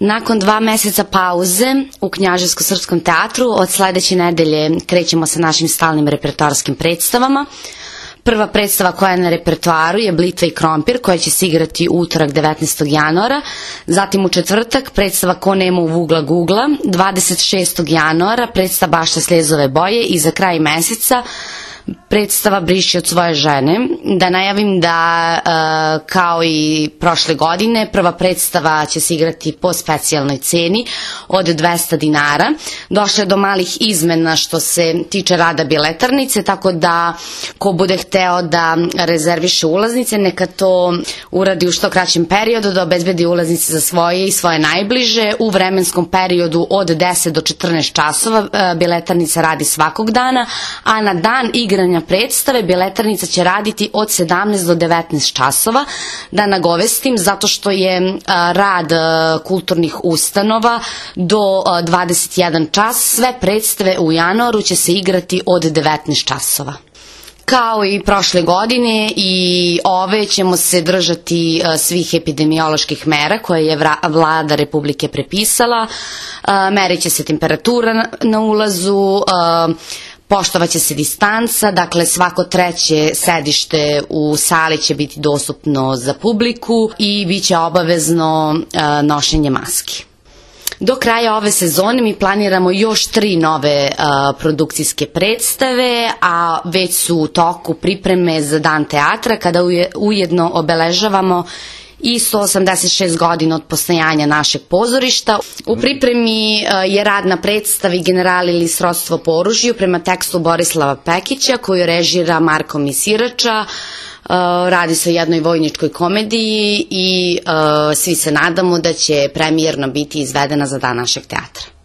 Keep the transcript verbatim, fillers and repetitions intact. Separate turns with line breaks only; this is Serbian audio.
Nakon dva meseca pauze u Knjaževsko-srpskom teatru od sledeće nedelje krećemo sa našim stalnim repertoarskim predstavama. Prva predstava koja je na repertoaru je Blitva i krompir, koja će se igrati u utorak devetnaestog januara, zatim u četvrtak predstava Ko nema u vugla gugla, dvadeset šestog januara predstava Bašta slezove boje i za kraj meseca predstava Briši od svoje žene. Da najavim da kao i prošle godine prva predstava će se igrati po specijalnoj ceni od dvesta dinara. Došlo je do malih izmena što se tiče rada biletarnice, tako da ko bude hteo da rezerviše ulaznice neka to uradi u što kraćem periodu, da obezbedi ulaznice za svoje i svoje najbliže u vremenskom periodu od deset do četrnaest časova. Biletarnica radi svakog dana, a na dan igranja predstave biletarnica će raditi od sedamnaest do devetnaest časova. Da nagovestim, zato što je rad kulturnih ustanova do dvadeset jedan čas, sve predstave u januaru će se igrati od devetnaest časova. Kao i prošle godine i ove ćemo se držati svih epidemioloških mera koje je vlada Republike prepisala. Merit će se temperatura na ulazu, poštovaće se distanca, dakle svako treće sedište u sali će biti dostupno za publiku i bit će obavezno nošenje maski. Do kraja ove sezone mi planiramo još tri nove produkcijske predstave, a već su u toku pripreme za Dan teatra, kada ujedno obeležavamo i sto osamdeset šest godina od postojanja našeg pozorišta. U pripremi je rad na predstavi Generali ili srodstvo po oružju prema tekstu Borislava Pekića, koju režira Marko Misirača. Radi se o jednoj vojničkoj komediji i svi se nadamo da će premijerno biti izvedena za Dan našeg teatra.